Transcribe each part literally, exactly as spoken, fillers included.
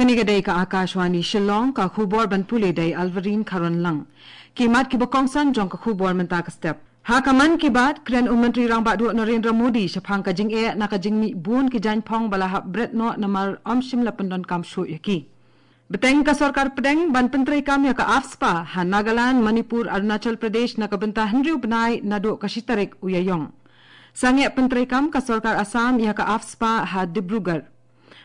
Kane ka dei ka Akashvani Shillong, ka khubor ban pule da i Alvarine Kharonlang. Ki mat kiba kongsan jong ka khubor mynta ka step. Ha ka Mann Ki Baat, kren u Myntri Rangbah Duh Narendra Modi shaphang ka jingeh na ka jingmih bun ki jaiñphong ba la hap bret noh namar ym shym la pyndonkam shuh ïa ki. Bteng ka sorkar pdeng ban pyntreikam ïa ka AFSPA ha Nagaland, Manipur, Arunachal Pradesh na ka bynta hynriew bnai naduh ka shi tarik u Ïaïong. Sangeh pyntreikam ka sorkar Assam ïa ka AFSPA ha Dibrugarh.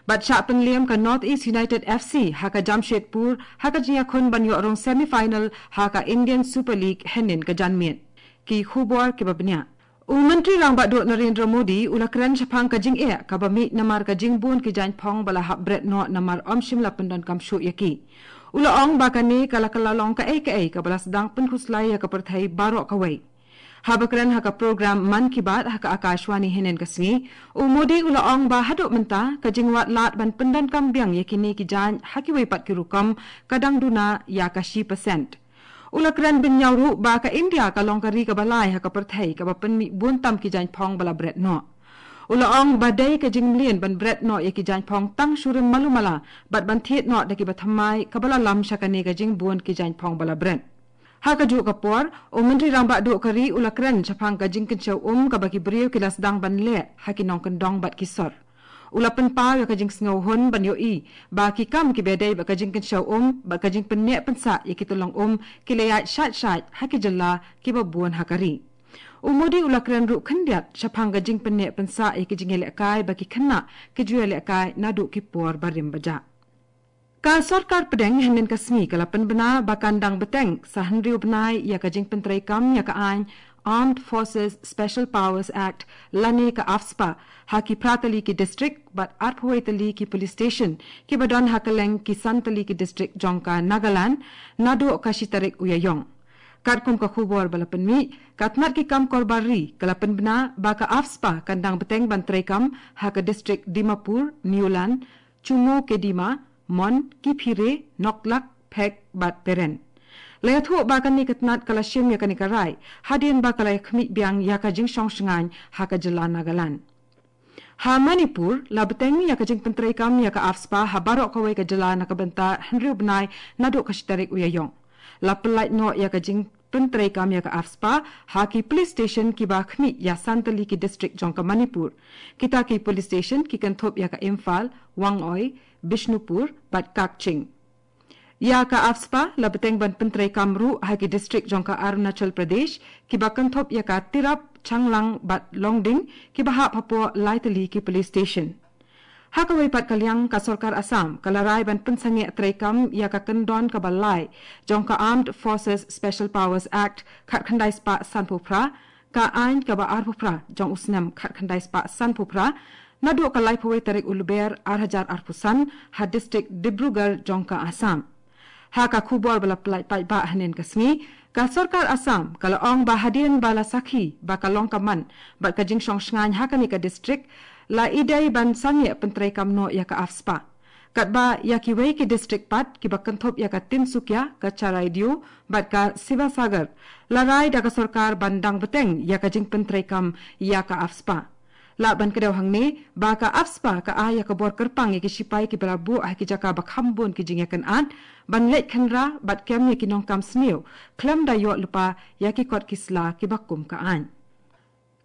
Bad shah pynliem ka North East United F C ha ka Jamshedpur ha ka jingïakhun ban ïoh rung semi-final ha ka Indian Super League hynnin ka janmiet. Ki khubor kiba bniah. U Myntri Rangbah Duh Narendra Modi u la kren shaphang ka jingeh kaba mih namar ka jingbun ki jaiñphong ba la hap bret noh namar ym shym la pyndonkam shuh ïa ki. U la ong ba kane ka la kylla long kaei kaei kaba la sdang pynkhuslai ïa ka pyrthei baroh kawei. Haba kren ha ka program Mann Ki Baat ha ka Akashvani hynnin ka sngi, u Modi u la ong ba haduh mynta ka jingwad lad ban pyndonkam biang ïa kine ki jaiñ ha kiwei pat ki rukom ka dang duna ïa ka shi percent. U la kren bynñiaw ruh ba ka India ka long ka ri kaba lai ha ka pyrthei kaba pynmih bun tam ki jaiñphong ba la bret noh. U la ong ba dei ka jingmlien ban bret noh ïa ki jaiñphong tang shurim malu mala bad ban thied noh da kiba thymmai kaba la lam sha kane ka jingbun ki jaiñphong ba la bret. Ha kajuh ka por, u Myntri Rangbah Duh ka ri u la kren shaphang ka jingkynshew um kaba ki briew ki la sdang ban leh ha ki nongkyndong bad ki sor. U la pynpaw ïa ka jingsngewhun ban ïohi ba ki kam kiba dei bad ka jingkynshew um bad ka jingpynneh pynsah ïa ki tyllong um ki la ïaid shait shait ha ki jylla kiba bun ha ka ri. U Modi u la kren ruh khyndiat shaphang ka jingpynneh pynsah ïa ki jingïalehkai ba ki khynnah ki ju ïalehkai naduh ki por barim bajah. Ka sorkar pdeng hynnin ka sngi ka la pynbna ba kan dang bteng sa hynriew bnai ïa ka jingpyntreikam ïa ka aiñ Armed Forces Special Powers Act lane ka AFSPA ha ki phra tylli ki district bad arphew wei tylli ki police station kiba don ha kylleng ki san tylli ki district jong ka Nagaland naduh ka shi tarik u Ïaïong. Katkum ka khubor ba la pynmih, ka tnat ki kam korbar ri ka la pynbna ba ka AFSPA kan dang bteng ban treikam ha ka district Dimapur, Newland, Chumukedima, Mon, Kiphire, Noklak, Phek bad Peren. La ïathuh ba kane ka tnat ka la shim ïa kane ka rai hadien ba ka la ïakhmih biang ïa ka jingshong shngaiñ ha ka jylla Nagaland. Ha Manipur, la bteng ïa ka jingpyntreikam ïa ka AFSPA ha baroh kawei ka jylla na ka bynta hynriew bnai naduh ka shi tarik u Ïaïong. La pyllait noh ïa ka jingpyntreikam ïa ka AFSPA ha ki police station kiba khmih ïa san tylli ki district jong ka Manipur. Kita ki police station ki kynthup ïa ka Imphal, Wangoi, Bishnupur bad Kakching. Ïa ka AFSPA la bteng ban pyntreikam ruh ha ki district jong ka Arunachal Pradesh kiba kynthup ïa ka Tirap, Changlang bad Longding kiba hap hapoh lai tylli ki police station. Ha kawei pat ka liang, ka sorkar Assam ka la rai ban pynsangeh treikam ïa ka kyndon kaba lai jong ka Armed Forces Special Powers Act khatkhyndai spah sanphew phra, ka aiñ kaba arphew phra jong u snem khatkhyndai spah sanphew phra, naduh ka laiphew wei tarik u Lber ar hajar arphew san ha district Dibrugarh jong ka Assam. Ha ka khubor ba la pynlait paidbah hynnin ka sngi, ka sorkar Assam ka la ong ba hadien ba la sakhi ba ka long ka man bad ka jingshong shngaiñ ha kane ka district, la ïadei ban sangeh pyntreikam noh ïa ka AFSPA. Katba ïa kiwei ki district pat kiba kynthup ïa ka Tinsukia, ka Charaideo bad ka Sivasagar, la rai da ka sorkar ban dang bteng ïa ka jingpyntreikam ïa ka AFSPA. Lah ban kdew hangne ba ka AFSPA ka ai ïa ka bor kyrpang ïa ki shipai kiba la buh ha ki jaka ba kham bun ki jingïakynad ban leit khynra bad kem ïa ki nongkam sniew khlem da ïoh lypa ïa ki kot ki sla kiba kum ka aiñ.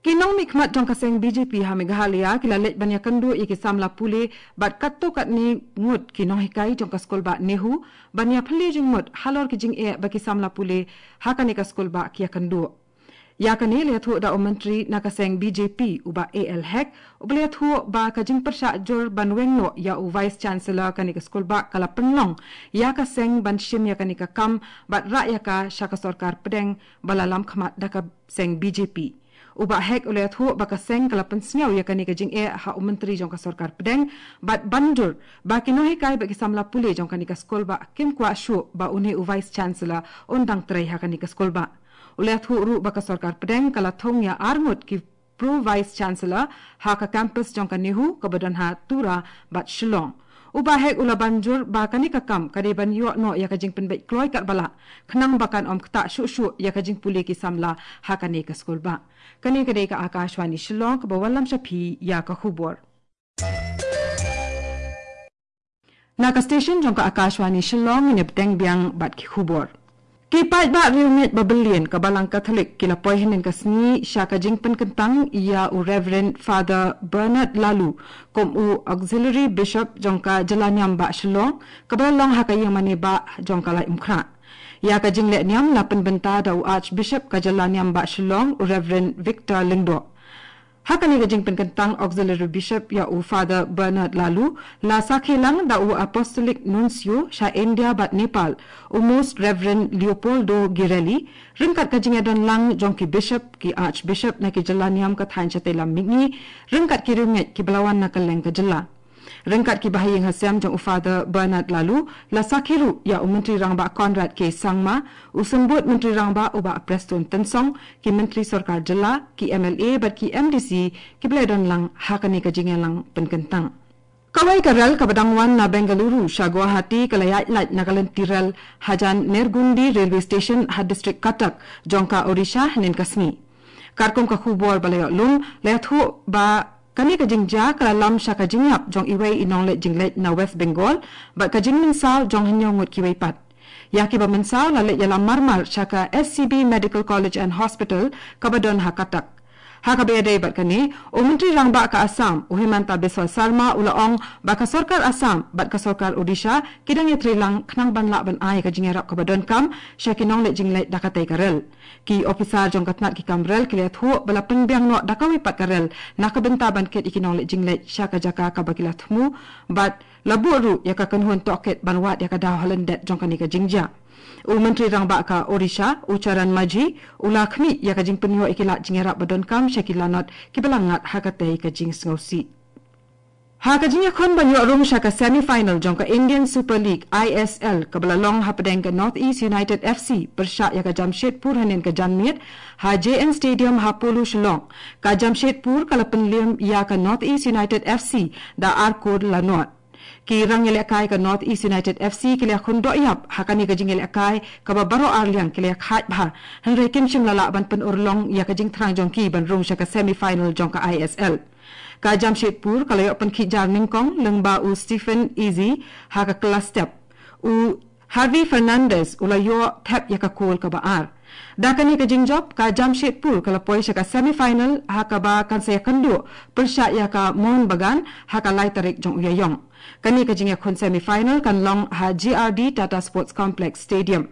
Ki nongmihkhmat jong ka seng B J P ha Meghalaya ki la leit ban ïakynduh ïa ki samla pule bad katto katne ngut ki nonghikai jong ka skulbah NEHU ban ïaphylliew jingmut halor ki jingeh ba ki samla pule ha kane ka skulbah ki ïakynduh. Ïa kane la ïathuh da u Myntri na ka seng B J P u Bah A L Hek, uba la ïathuh ba ka jingpyrshah jur ban weng noh ïa u Vice Chancellor kane ka skulbah ka la pynlong ïa ka seng ban shim ïa kane ka kam bad rah ïa ka sha ka sorkar pdeng ba la lam khmat da ka seng B J P. U Bah Hek u la ïathuh ba ka seng ka la pynsngew ïa kane ka jingeh ha u Myntri jong ka sorkar pdeng bad ban jur ba ki nonghikai bad ki samla pule jong kane ka skulbah kim kwah shuh ba une u Vice Chancellor un dang trei ha kane ka skulbah. U la ïathuh ruh ba ka sorkar pdeng ka la thung ïa ar ngut ki Pro Vice Chancellor ha ka campus jong ka NEHU kaba don ha Tura bad Shillong. U Bah Hek u la ban jur ba kane ka kam ka dei ban ïoh noh ïa ka jingpynbeit kloi katba lah khnang ba kan ym ktah shuh shuh ïa ka jingpule ki samla ha kane ka skulbah. Kane ka dei ka Akashvani Shillong kaba wallam sha phi ïa ka khubor. Na ka station jong ka Akashvani Shillong, ngin ïa bteng biang bad ki khubor. Ki paidbah riewngeit ba byllian ka Balang Katholik ki la poi hynnin ka sngi sha ka jingpynkyntang ïa u Reverend Father Bernard Laloo kum u Auxiliary Bishop jong ka jylla niam bah Shillong, kaba la long ha ka ïingmane bah jong ka Laitumkhrah. Ïa ka jingleh niam la pynbynta da u Archbishop ka jylla niam bah Shillong, u Reverend Victor Lyngdoh. Ha kane ka jingpynkyntang Auxiliary Bishop ïa u Father Bernard Laloo, la sakhi lang da u Apostolic Nuncio sha India bad Nepal, u Most Reverend Leopoldo Girelli, ryngkat ka jingïadon lang jong ki Bishop, ki Archbishop na ki jylla niam ka thaiñ shatei lam mihngi, ryngkat ki riewngeit kiba la wan na kylleng ka jylla. Ryngkat kiba ha ïing ha sem jong u Father Bernard Laloo, la sakhi ruh ïa u Myntri Rangbah Conrad K Sangma, u Symbud Myntri Rangbah u Bah Prestone Tynsong, ki Myntri Sorkar Jylla, ki M L A bad ki M D C, kiba la don lang ha kane ka jingïalang pynkyntang. Kawei ka rel kaba dang wan na Bengaluru sha Guwahati ka la ïaid lait na ka lynti rel hajan Nergundi Railway Station ha District Cuttack jong ka Odisha hynnin ka sngi. Katkum ka khubor ba la ïoh lum, la ïathuh ba kane ka jingjia ka la lam sha ka jingïap jong iwei i nongleit jingleit na West Bengal bad ka jingmynsaw jong hynñiew ngut kiwei pat. Ïa kiba mynsaw la leit ïalam marmar sha ka S C B Medical College and Hospital kaba don ha Cuttack. Ha kaba ïadei bad kane, u Myntri Rangbah ka Assam, u Himanta Biswa Sarma, u la ong ba ka sorkar Assam bad ka sorkar Odisha ki dang ïatreilang khnang ban lah ban ai ka jingïarap kaba donkam sha ki nongleit jingleit da katei ka rel. Ki ophisar jong ka tnat ki kam rel ki la ïathuh ba la pynbiang noh da kawei pat ka rel na ka bynta ban kit ïa ki nongleit jingleit sha ka jaka kaba ki la thmu bad la buh ruh ïa ka kynhun tohkit ban wad ïa ka daw ha lyndet jong kane ka jingjia. U Myntri Rangbah ka Odisha, u Charan Majhi, u la khmih ïa ka jingpynïoh ïa ki lad jingïarap ba donkam sha ki lanot kiba la ngat ha katei ka jingsngewsih. Ha ka jingïakhun ban ïoh rung sha ka semi-final jong ka Indian Super League, I S L, kaba la long hapdeng ka North East United F C pyrshah ïa ka Jamshedpur hynnin ka janmiet ha J N Stadium ha Polo, Shillong, ka Jamshedpur ka la pynliem ïa ka North East United F C da ar kol la nod. Ki rangïalehkai ka North East United F C ki la ïakhun doh ïap ha kane ka jingïalehkai kaba baroh arliang ki la ïakhaid bha, hynrei kim shym la lah ban pynurlong ïa ka jingthrang jong ki ban rung sha ka semi-final jong ka I S L. Ka Jamshedpur ka la ïoh pynkhih jar nyngkong lyngba u Stephen Eze ha ka kylla step. U Javi Fernandez u la ïoh thep ïa ka kol kaba ar. Da kane ka jingjop, ka Jamshedpur ka la poi sha ka semi-final ha kaba kan sa ïakynduh pyrshah ïa ka Mohun Bagan ha ka lai tarik jong u Ïaïong. Kane ka jingïakhun semi-final kan long ha G R D Tata Sports Complex Stadium.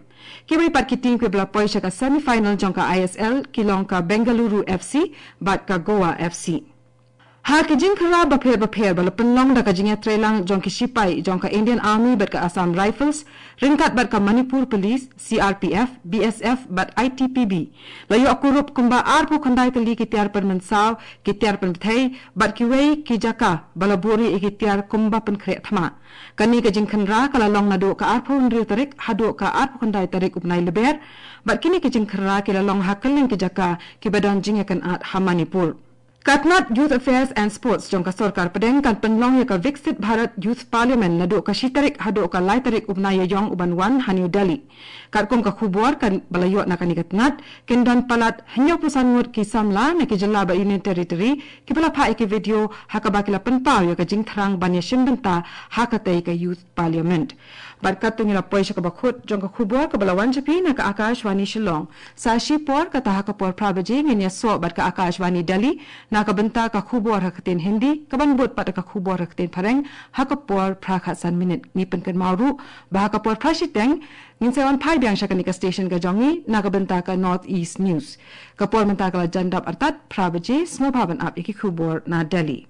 Kiwei pat ki team kiba la poi sha ka semi-final jong ka I S L ki long ka Bengaluru F C bad ka Goa F C. Ha ki jingkhynra bapher bapher ba la pynlong da ka jingïatreilang jong ki shipai jong ka Indian Army bad ka Assam Rifles, ryngkat bad ka Manipur Police, C R P F, B S F bad I T P B, la ïoh kurup kumba arphew khyndai tylli ki tiar pynmynsaw, ki tiar pynbthei bad kiwei ki jaka ba la buhrieh ïa ki tiar kumba pynkhreh thma. Kane ka jingkhynra ka la long naduh ka arphew hynriew tarik haduh ka arphew khyndai tarik u bnai Lber, bad kine ki jingkhynra ki la long ha kylleng ki jaka kiba don jingïakynad ha Manipur. Ka tnat Youth Affairs and Sports jong ka sorkar pdeng kan pynlong ïa ka Viksit Bharat Youth Parliament naduh ka shi tarik haduh ka lai tarik u bnai Ïaïong u ban wan ha New Delhi. Katkum ka khubor kaba la ïoh na kane ka tnat, kin don palat hynñiewphew san ngut ki samla na ki jylla bad Union Territory kiba la phah ïa ki video ha kaba ki la pynpaw ïa ka jingthrang ban ïashim bynta ha katei ka Youth Parliament. Bad katto ngi la poi sha kaba kut jong ka khubor kaba la wan sha phi na ka Akashvani Shillong. Sa shipor, kata ha ka por phra baje ngin ïasoh bad ka Akashvani Delhi na ka bynta ka khubor ha ka ktien Hindi, kaban bud pat ka khubor ha ka ktien Phareng ha ka por phra khatsan minit. Ngi pynkynmaw ruh ba ha ka por phra shiteng ngin sa wan phai biang sha kane ka station ka jong ngi na ka bynta ka North East News. Ka por mynta ka la jan dap artat phra baje, sngewbha ban ap ïa ki khubor na Delhi.